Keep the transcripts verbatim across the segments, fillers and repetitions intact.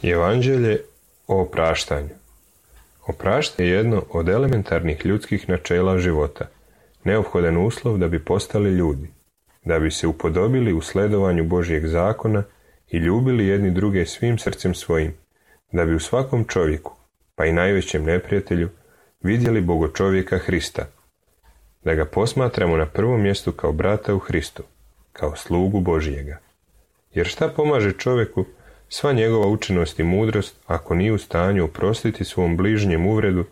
Evanđelje o opraštanju. Opraštanje je jedno od elementarnih ljudskih načela života, neophodan uslov da bi postali ljudi, da bi se upodobili u sledovanju Božjeg zakona i ljubili jedni druge svim srcem svojim, da bi u svakom čovjeku, pa i najvećem neprijatelju, vidjeli Bogočovjeka Hrista, da ga posmatramo na prvom mjestu kao brata u Hristu, kao slugu Božjega. Jer šta pomaže čovjeku sva njegova učenost i mudrost ako nije u stanju oprostiti svom bližnjem uvredu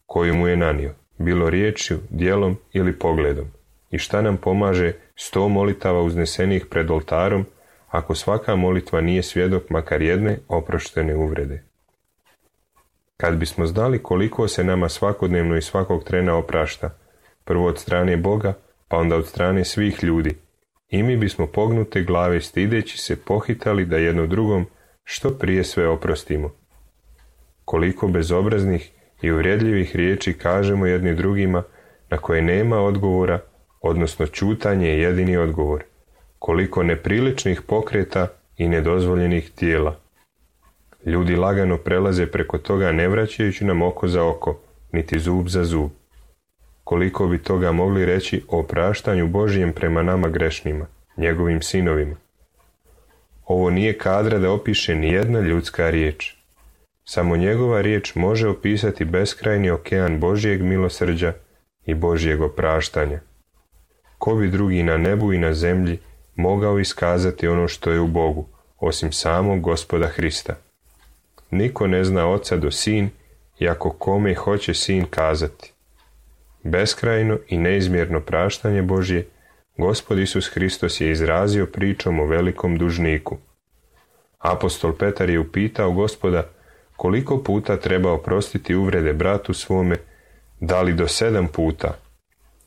koju mu je nanio, bilo riječju, djelom ili pogledom? I šta nam pomaže sto molitava uznesenih pred oltarom ako svaka molitva nije svjedok makar jedne oproštene uvrede? Kad bismo znali koliko se nama svakodnevno i svakog trena oprašta, prvo od strane Boga, pa onda od strane svih ljudi, i mi bismo pognute glave stideći se pohitali da jedno drugom što prije sve oprostimo. Koliko bezobraznih i uvredljivih riječi kažemo jedni drugima na koje nema odgovora, odnosno ćutanje je jedini odgovor. Koliko nepriličnih pokreta i nedozvoljenih tijela. Ljudi lagano prelaze preko toga ne vraćajući nam oko za oko, niti zub za zub. Koliko bi toga mogli reći o opraštanju Božijem prema nama grešnima, njegovim sinovima. Ovo nije kadra da opiše ni jedna ljudska riječ. Samo njegova riječ može opisati beskrajni okean Božjeg milosrđa i Božjeg opraštanja. Ko bi drugi na nebu i na zemlji mogao iskazati ono što je u Bogu, osim samog Gospoda Hrista? Niko ne zna oca do sin, iako kome hoće sin kazati. Beskrajno i neizmjerno praštanje Božje Gospod Isus Hristos je izrazio pričom o velikom dužniku. Apostol Petar je upitao Gospoda koliko puta treba oprostiti uvrede bratu svome, da li do sedam puta?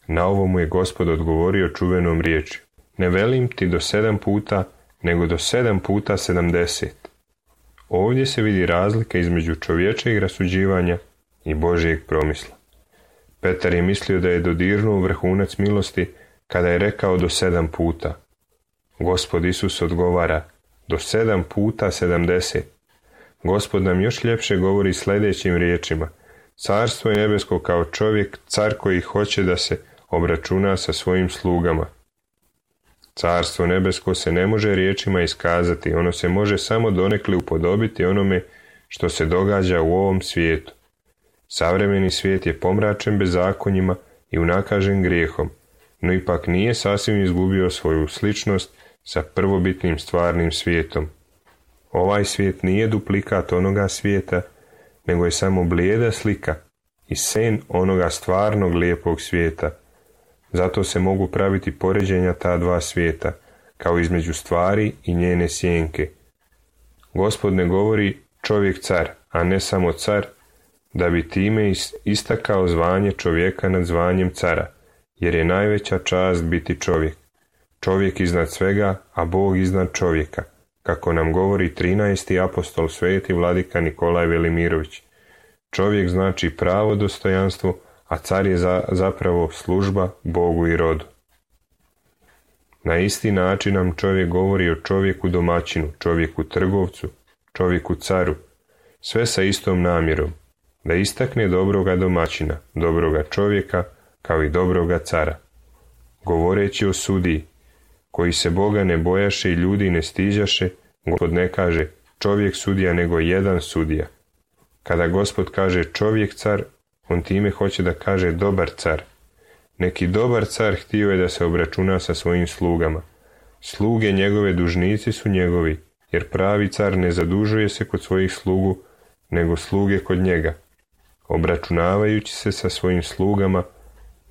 Na ovo mu je Gospod odgovorio čuvenom riječju: ne velim ti do sedam puta, nego do sedam puta sedamdeset. Ovdje se vidi razlika između čovječeg rasuđivanja i Božjeg promisla. Petar je mislio da je dodirnuo vrhunac milosti kada je rekao do sedam puta. Gospod Isus odgovara: do sedam puta sedamdeset. Gospod nam još ljepše govori sljedećim riječima: carstvo je nebesko kao čovjek, car koji hoće da se obračuna sa svojim slugama. Carstvo nebesko se ne može riječima iskazati, ono se može samo donekle upodobiti onome što se događa u ovom svijetu. Savremeni svijet je pomračen bezakonjima i unakažen grijehom, no ipak nije sasvim izgubio svoju sličnost sa prvobitnim stvarnim svijetom. Ovaj svijet nije duplikat onoga svijeta, nego je samo blijeda slika i sen onoga stvarnog lijepog svijeta. Zato se mogu praviti poređenja ta dva svijeta, kao između stvari i njene sjenke. Gospod ne govori čovjek car, a ne samo car, da bi time istakao zvanje čovjeka nad zvanjem cara, jer je najveća čast biti čovjek. Čovjek iznad svega, a Bog iznad čovjeka, kako nam govori trinaesti apostol sveti vladika Nikolaj Velimirović. Čovjek znači pravo dostojanstvo, a car je za, zapravo služba Bogu i rodu. Na isti način nam čovjek govori o čovjeku domaćinu, čovjeku trgovcu, čovjeku caru, sve sa istom namjerom, da istakne dobroga domaćina, dobroga čovjeka, kao i dobroga cara. Govoreći o sudiji, koji se Boga ne bojaše i ljudi ne stiđaše, Gospod ne kaže čovjek sudija, nego jedan sudija. Kada Gospod kaže čovjek car, on time hoće da kaže dobar car. Neki dobar car htio je da se obračuna sa svojim slugama. Sluge njegove dužnici su njegovi, jer pravi car ne zadužuje se kod svojih slugu, nego sluge kod njega. Obračunavajući se sa svojim slugama,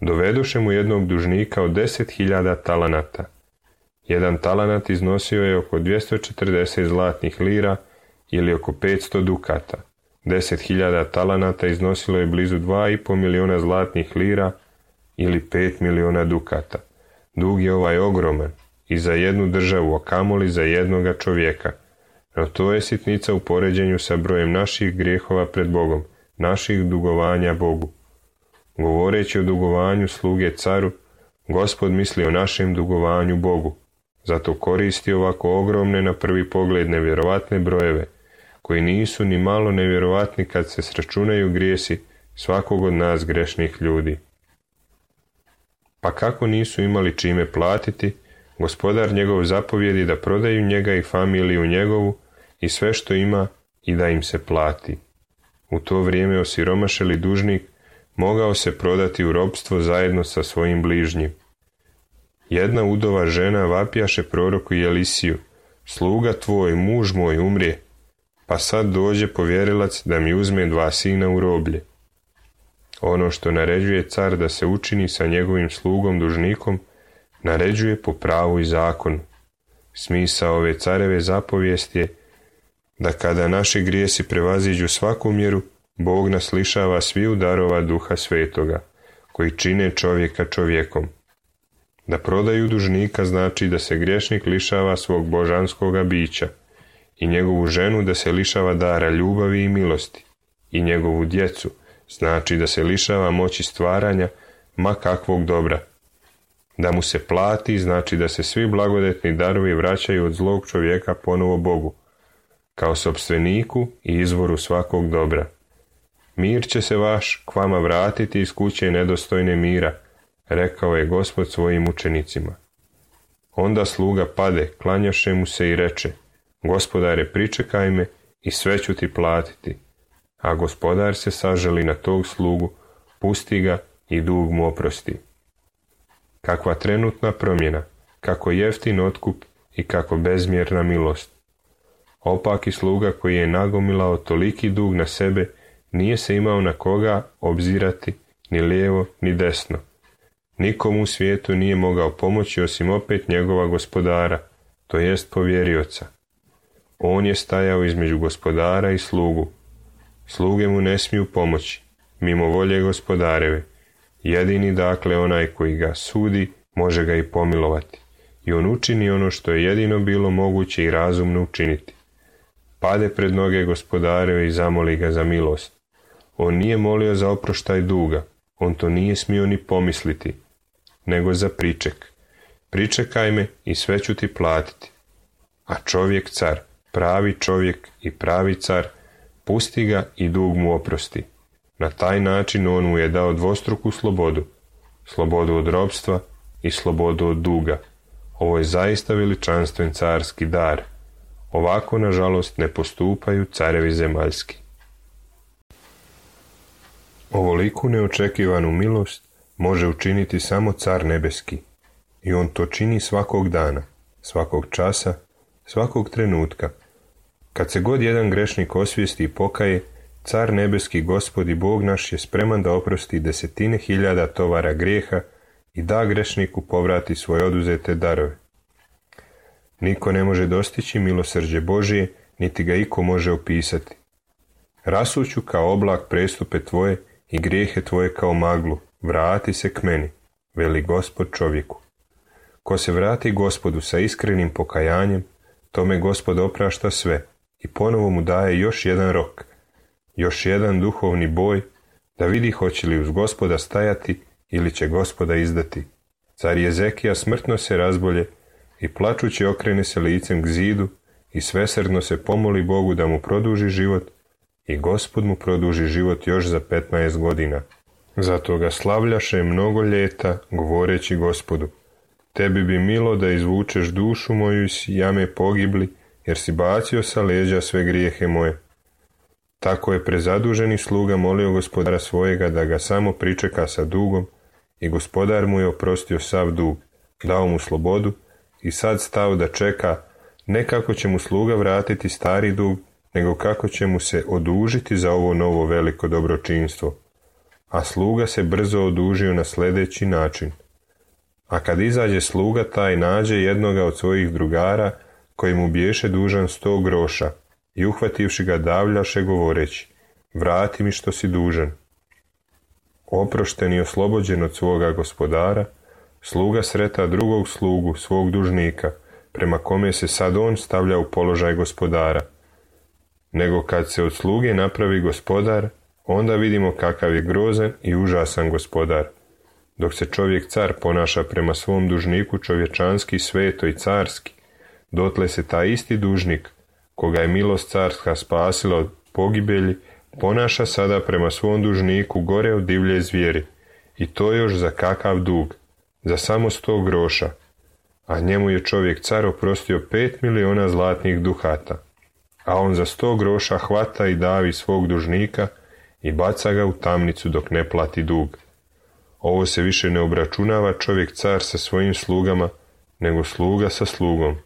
dovedoše mu jednog dužnika od deset hiljada talanata. Jedan talanat iznosio je oko dvjesto četrdeset zlatnih lira ili oko petsto dukata. Deset hiljada talanata iznosilo je blizu dva i pol miliona zlatnih lira ili pet miliona dukata. Dug je ovaj ogroman i za jednu državu, a kamoli za jednoga čovjeka. No to je sitnica u poređenju sa brojem naših grijehova pred Bogom, naših dugovanja Bogu. Govoreći o dugovanju sluge caru, Gospod misli o našem dugovanju Bogu. Zato koristi ovako ogromne na prvi pogled nevjerovatne brojeve, koji nisu ni malo nevjerovatni kad se sračunaju grijesi svakog od nas grešnih ljudi. Pa kako nisu imali čime platiti, Gospodar njegov zapovjedi da prodaju njega i familiju njegovu i sve što ima i da im se plati. U to vrijeme osiromašeli dužnik mogao se prodati u ropstvo zajedno sa svojim bližnjim. Jedna udova žena vapjaše proroku Elisiju, sluga tvoj, muž moj, umrije, pa sad dođe povjerilac da mi uzme dva sina u roblje. Ono što naređuje car da se učini sa njegovim slugom dužnikom, naređuje po pravu i zakonu. Smisao ove careve zapovijesti je da kada naši grijesi prevaziđu svaku mjeru, Bog nas lišava sviju darova Duha Svetoga, koji čine čovjeka čovjekom. Da prodaju dužnika znači da se griješnik lišava svog božanskoga bića i njegovu ženu da se lišava dara ljubavi i milosti i njegovu djecu znači da se lišava moći stvaranja ma kakvog dobra. Da mu se plati znači da se svi blagodetni darovi vraćaju od zlog čovjeka ponovo Bogu, kao sopstveniku i izvoru svakog dobra. Mir će se vaš k vama vratiti iz kuće nedostojne mira, rekao je Gospod svojim učenicima. Onda sluga pade, klanjaše mu se i reče, Gospodare, pričekaj me i sve ću ti platiti. A Gospodar se sažali na tog slugu, pusti ga i dug mu oprosti. Kakva trenutna promjena, kako jeftin otkup i kako bezmjerna milost. Opaki sluga koji je nagomilao toliki dug na sebe, nije se imao na koga obzirati ni lijevo ni desno. Nikomu u svijetu nije mogao pomoći osim opet njegova gospodara, to jest povjerioca. On je stajao između gospodara i slugu. Sluge mu ne smiju pomoći, mimo volje gospodareve. Jedini dakle onaj koji ga sudi, može ga i pomilovati. I on učini ono što je jedino bilo moguće i razumno učiniti. Pade pred noge gospodareve i zamoli ga za milost. On nije molio za oproštaj duga, on to nije smio ni pomisliti, nego za priček. Pričekaj me i sve ću ti platiti. A čovjek car, pravi čovjek i pravi car, pusti ga i dug mu oprosti. Na taj način on mu je dao dvostruku slobodu, slobodu od ropstva i slobodu od duga. Ovo je zaista veličanstven carski dar. Ovako, nažalost, ne postupaju carevi zemaljski. Ovoliku neočekivanu milost može učiniti samo car nebeski, i on to čini svakog dana, svakog časa, svakog trenutka. Kad se god jedan grešnik osvijesti i pokaje, car nebeski, Gospod i Bog naš, je spreman da oprosti desetine hiljada tovara grijeha i da grešniku povrati svoje oduzete darove. Niko ne može dostići milosrđe Božije, niti ga iko može opisati. Rasuću kao oblak prestupe tvoje i grijehe tvoje kao maglu, vrati se k meni, veli Gospod čovjeku. Ko se vrati Gospodu sa iskrenim pokajanjem, tome Gospod oprašta sve i ponovo mu daje još jedan rok, još jedan duhovni boj, da vidi hoće li uz Gospoda stajati ili će Gospoda izdati. Car Jezekija smrtno se razbolje i plačući okrene se licem k zidu i svesrdno se pomoli Bogu da mu produži život, i Gospod mu produži život još za petnaest godina. Zato ga slavljaše mnogo ljeta, govoreći Gospodu: tebi bi milo da izvučeš dušu moju iz jame pogibli, jer si bacio sa leđa sve grijehe moje. Tako je prezaduženi sluga molio gospodara svojega da ga samo pričeka sa dugom, i gospodar mu je oprostio sav dug, dao mu slobodu i sad stao da čeka, ne kako će mu sluga vratiti stari dug, nego kako će mu se odužiti za ovo novo veliko dobročinstvo. A sluga se brzo odužio na sljedeći način. A kad izađe sluga taj, nađe jednoga od svojih drugara koji mu biješe dužan sto groša, i uhvativši ga davljaše govoreći: vrati mi što si dužan. Oprošten i oslobođen od svoga gospodara, sluga sreta drugog slugu, svog dužnika, prema kome se sad on stavlja u položaj gospodara. Nego kad se od sluge napravi gospodar, onda vidimo kakav je grozan i užasan gospodar. Dok se čovjek car ponaša prema svom dužniku čovječanski, sveto i carski, dotle se taj isti dužnik, koga je milost carska spasila od pogibelji, ponaša sada prema svom dužniku gore od divlje zvijeri, i to još za kakav dug, za samo sto groša, a njemu je čovjek car oprostio pet miliona zlatnih duhata, a on za sto groša hvata i davi svog dužnika i baca ga u tamnicu dok ne plati dug. Ovo se više ne obračunava čovjek car sa svojim slugama, nego sluga sa slugom.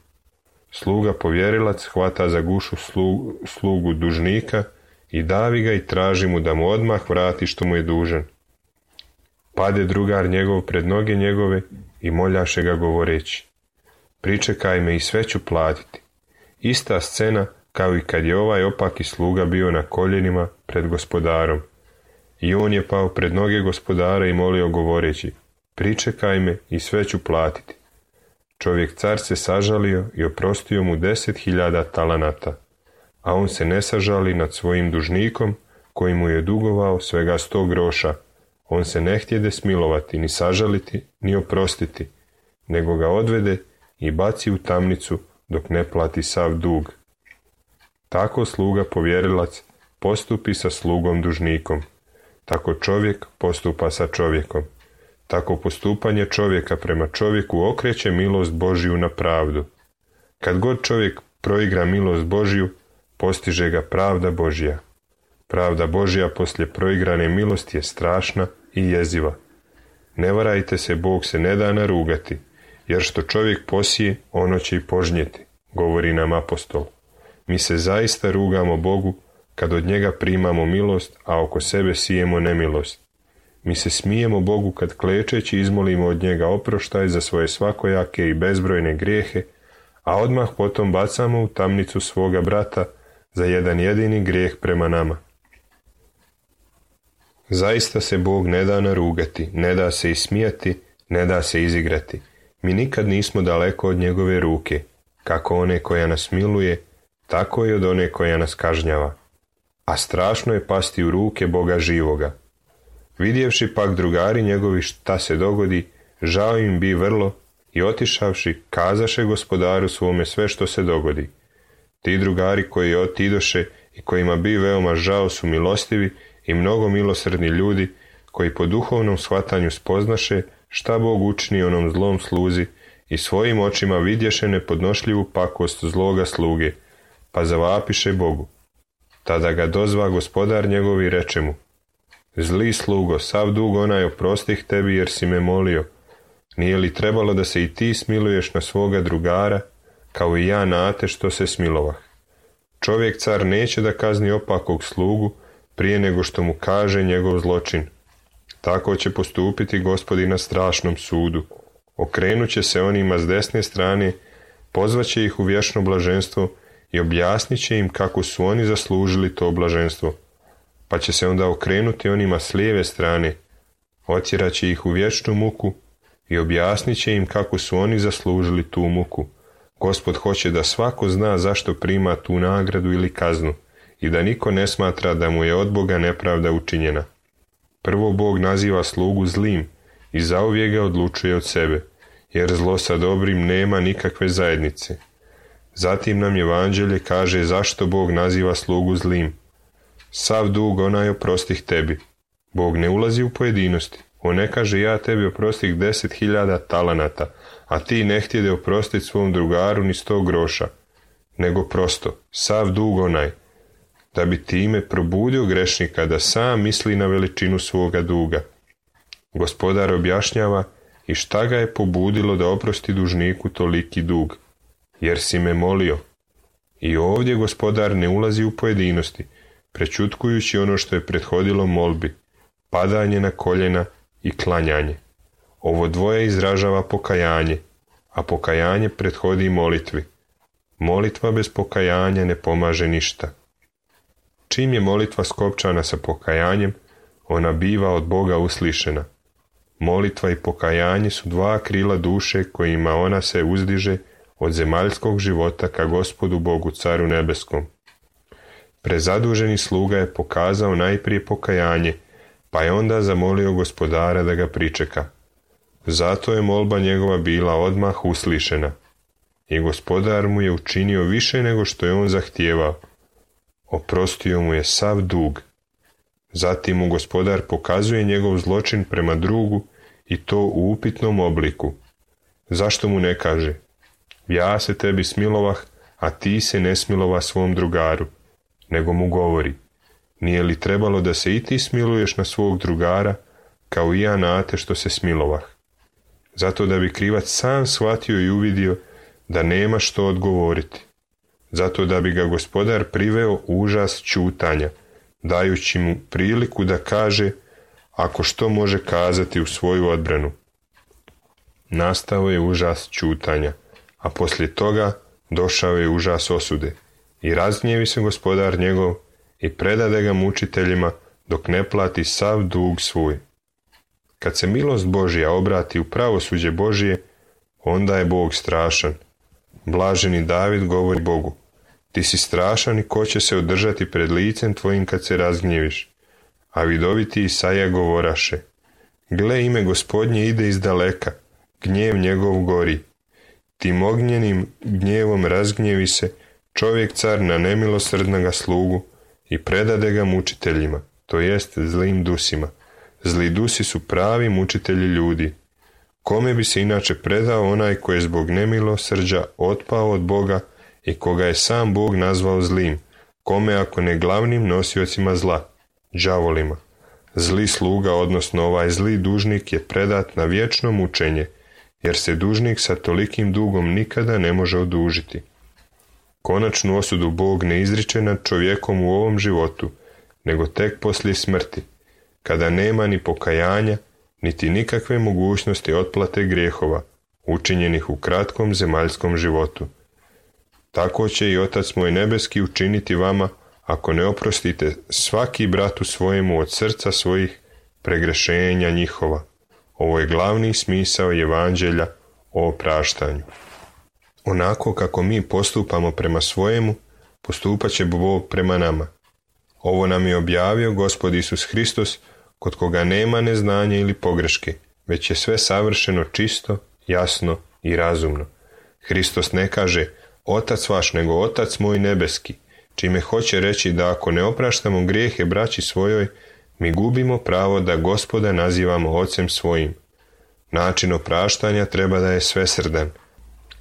Sluga povjerilac hvata za gušu slugu, slugu dužnika i davi ga i traži mu da mu odmah vrati što mu je dužan. Pade drugar njegov pred noge njegove i moljaše ga govoreći: pričekaj me i sve ću platiti. Ista scena kao i kad je ovaj opaki sluga bio na koljenima pred gospodarom. I on je pao pred noge gospodara i molio govoreći: pričekaj me i sve ću platiti. Čovjek car se sažalio i oprostio mu deset hiljada talanata, a on se ne sažali nad svojim dužnikom koji mu je dugovao svega sto groša. On se ne htjede smilovati, ni sažaliti, ni oprostiti, nego ga odvede i baci u tamnicu dok ne plati sav dug. Tako sluga povjerilac postupi sa slugom dužnikom. Tako čovjek postupa sa čovjekom. Tako postupanje čovjeka prema čovjeku okreće milost Božiju na pravdu. Kad god čovjek proigra milost Božiju, postiže ga pravda Božja. Pravda Božja poslije proigrane milosti je strašna i jeziva. Ne varajte se, Bog se ne da narugati, jer što čovjek posije, ono će i požnjeti, govori nam apostol. Mi se zaista rugamo Bogu kad od njega primamo milost, a oko sebe sijemo nemilost. Mi se smijemo Bogu kad klečeći izmolimo od njega oproštaj za svoje svakojake i bezbrojne grijehe, a odmah potom bacamo u tamnicu svoga brata za jedan jedini grijeh prema nama. Zaista se Bog ne da narugati, ne da se ismijati, ne da se izigrati. Mi nikad nismo daleko od njegove ruke, kako one koja nas miluje, tako i od one koja nas kažnjava. A strašno je pasti u ruke Boga živoga. Vidjevši pak drugari njegovi šta se dogodi, žao im bi vrlo i otišavši, kazaše gospodaru svome sve što se dogodi. Ti drugari koji otidoše i kojima bi veoma žao su milostivi i mnogo milosrdni ljudi, koji po duhovnom shvatanju spoznaše šta Bog učini onom zlom sluzi i svojim očima vidješe nepodnošljivu pakost zloga sluge, pa zavapiše Bogu. Tada ga dozva gospodar njegov i reče mu: Zli slugo, sav dug onaj oprostih tebi jer si me molio. Nije li trebalo da se i ti smiluješ na svoga drugara, kao i ja na te što se smilovah? Čovjek car neće da kazni opakog slugu prije nego što mu kaže njegov zločin. Tako će postupiti Gospodin na strašnom sudu. Okrenut će se onima s desne strane, pozvaće ih u vječno blaženstvo i objasnit će im kako su oni zaslužili to blaženstvo. Pa će se onda okrenuti onima s lijeve strane, otjeraće ih u vječnu muku i objasnit će im kako su oni zaslužili tu muku. Gospod hoće da svako zna zašto prima tu nagradu ili kaznu i da niko ne smatra da mu je od Boga nepravda učinjena. Prvo Bog naziva slugu zlim i zauvijek ga odlučuje od sebe, jer zlo sa dobrim nema nikakve zajednice. Zatim nam Evanđelje kaže zašto Bog naziva slugu zlim. Sav dug onaj oprostih tebi. Bog ne ulazi u pojedinosti. On ne kaže ja tebi oprostih deset hiljada talanata, a ti ne htjede oprostiti svom drugaru ni sto groša, nego prosto, sav dug onaj, da bi time probudio grešnika da sam misli na veličinu svoga duga. Gospodar objašnjava i šta ga je pobudilo da oprosti dužniku toliki dug, jer si me molio. I ovdje gospodar ne ulazi u pojedinosti, prečutkujući ono što je prethodilo molbi, padanje na koljena i klanjanje. Ovo dvoje izražava pokajanje, a pokajanje prethodi molitvi. Molitva bez pokajanja ne pomaže ništa. Čim je molitva skopčana sa pokajanjem, ona biva od Boga uslišena. Molitva i pokajanje su dva krila duše kojima ona se uzdiže od zemaljskog života ka Gospodu Bogu Caru nebeskom. Prezaduženi sluga je pokazao najprije pokajanje, pa je onda zamolio gospodara da ga pričeka. Zato je molba njegova bila odmah uslišena. I gospodar mu je učinio više nego što je on zahtijevao. Oprostio mu je sav dug. Zatim mu gospodar pokazuje njegov zločin prema drugu i to u upitnom obliku. Zašto mu ne kaže: ja se tebi smilovah, a ti se ne smilova svom drugaru, nego mu govori: nije li trebalo da se i ti smiluješ na svog drugara, kao i ja na te što se smilovah? Zato da bi krivac sam shvatio i uvidio da nema što odgovoriti. Zato da bi ga gospodar priveo u užas ćutanja, dajući mu priliku da kaže ako što može kazati u svoju odbranu. Nastao je užas ćutanja, a poslije toga došao je užas osude. I razgnjevi se gospodar njegov i predade ga mučiteljima dok ne plati sav dug svoj. Kad se milost Božja obrati u pravosuđe Božje, onda je Bog strašan. Blaženi David govori Bogu: ti si strašan i ko će se održati pred licem tvojim kad se razgnjeviš? A vidoviti Isaija govoraše: gle, ime Gospodnje ide iz daleka, gnjev njegov gori. Tim ognjenim gnjevom razgnjevi se čovjek car na nemilosrdnoga slugu i predade ga mučiteljima, to jest zlim dusima. Zli dusi su pravi mučitelji ljudi. Kome bi se inače predao onaj koji je zbog nemilosrđa otpao od Boga i koga je sam Bog nazvao zlim? Kome ako ne glavnim nosiocima zla, đavolima? Zli sluga, odnosno ovaj zli dužnik, je predat na vječno mučenje, jer se dužnik sa tolikim dugom nikada ne može odužiti. Konačnu osudu Bog ne izriče nad čovjekom u ovom životu, nego tek poslije smrti, kada nema ni pokajanja, niti nikakve mogućnosti otplate grijehova, učinjenih u kratkom zemaljskom životu. Tako će i Otac moj nebeski učiniti vama, ako ne oprostite svaki bratu svojemu od srca svojih pregrešenja njihova. Ovo je glavni smisao Evanđelja o opraštanju. Onako kako mi postupamo prema svojemu, postupat će Bog prema nama. Ovo nam je objavio Gospod Isus Hristos, kod koga nema neznanja ili pogreške, već je sve savršeno čisto, jasno i razumno. Hristos ne kaže Otac vaš, nego Otac moj nebeski, čime hoće reći da ako ne opraštamo grijehe braći svojoj, mi gubimo pravo da Gospoda nazivamo Ocem svojim. Način opraštanja treba da je svesrdan.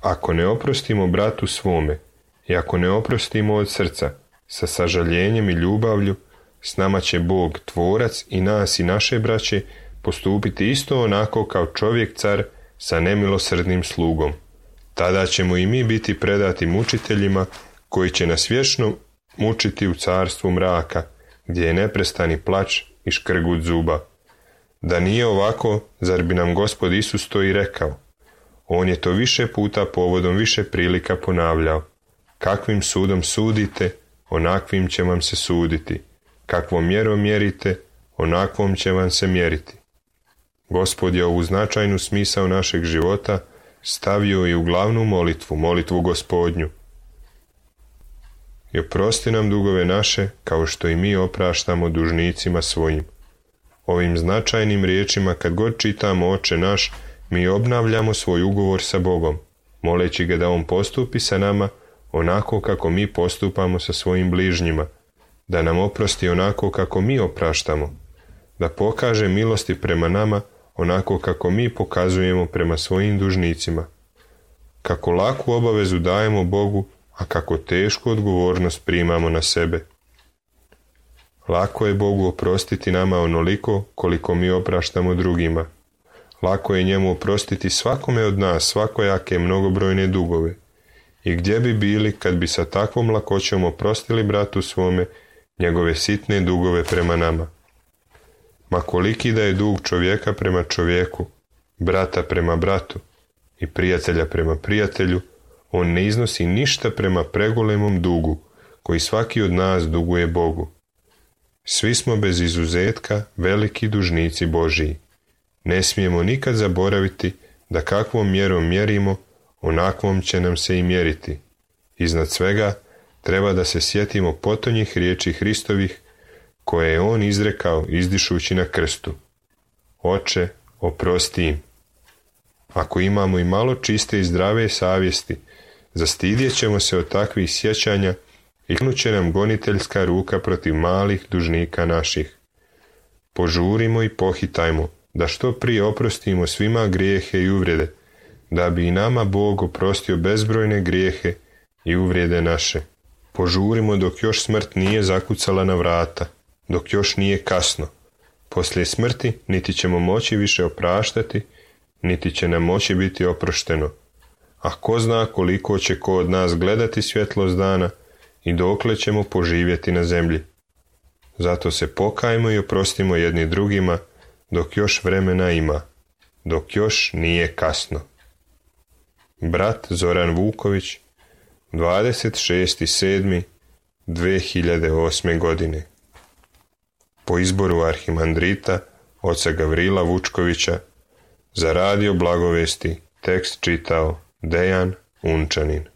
Ako ne oprostimo bratu svome, I ako ne oprostimo od srca, sa sažaljenjem i ljubavlju, s nama će Bog, tvorac i nas i naše braće, postupiti isto onako kao čovjek car sa nemilosrdnim slugom. Tada ćemo i mi biti predati mučiteljima koji će nas vječno mučiti u carstvu mraka, gdje je neprestani plač i škrgut zuba. Da nije ovako, zar bi nam Gospod Isus to i rekao? On je to više puta povodom više prilika ponavljao. Kakvim sudom sudite, onakvim će vam se suditi. Kakvom mjerom mjerite, onakvom će vam se mjeriti. Gospod je ovu značajnu smisao našeg života stavio i u glavnu molitvu, molitvu Gospodnju. I oprosti nam dugove naše, kao što i mi opraštamo dužnicima svojim. Ovim značajnim riječima, kad god čitamo Oče naš, mi obnavljamo svoj ugovor sa Bogom, moleći ga da on postupi sa nama onako kako mi postupamo sa svojim bližnjima, da nam oprosti onako kako mi opraštamo, da pokaže milosti prema nama onako kako mi pokazujemo prema svojim dužnicima. Kako laku obavezu dajemo Bogu, a kako tešku odgovornost primamo na sebe. Lako je Bogu oprostiti nama onoliko koliko mi opraštamo drugima. Lako je njemu oprostiti svakome od nas svakojake mnogobrojne dugove. I gdje bi bili kad bi sa takvom lakoćom oprostili bratu svome njegove sitne dugove prema nama? Ma koliki da je dug čovjeka prema čovjeku, brata prema bratu i prijatelja prema prijatelju, on ne iznosi ništa prema pregolemom dugu koji svaki od nas duguje Bogu. Svi smo bez izuzetka veliki dužnici Božiji. Ne smijemo nikad zaboraviti da kakvom mjerom mjerimo, onakvom će nam se i mjeriti. Iznad svega treba da se sjetimo potonjih riječi Hristovih koje je on izrekao izdišući na krstu. Oče, oprosti im. Ako imamo i malo čiste i zdrave savjesti, zastidjet ćemo se od takvih sjećanja i knut će nam goniteljska ruka protiv malih dužnika naših. Požurimo i pohitajmo da što prije oprostimo svima grijehe i uvrede, da bi i nama Bog oprostio bezbrojne grijehe i uvrede naše. Požurimo dok još smrt nije zakucala na vrata, dok još nije kasno. Poslije smrti niti ćemo moći više opraštati, niti će nam moći biti oprošteno. A ko zna koliko će ko od nas gledati svjetlost dana i dokle ćemo poživjeti na zemlji. Zato se pokajmo i oprostimo jedni drugima dok još vremena ima, dok još nije kasno. Brat Zoran Vuković, dvadeset šesti sedmi dve hiljade osme. godine. Po izboru arhimandrita oca Gavrila Vučkovića, za radio Blagovesti tekst čitao Dejan Unčanin.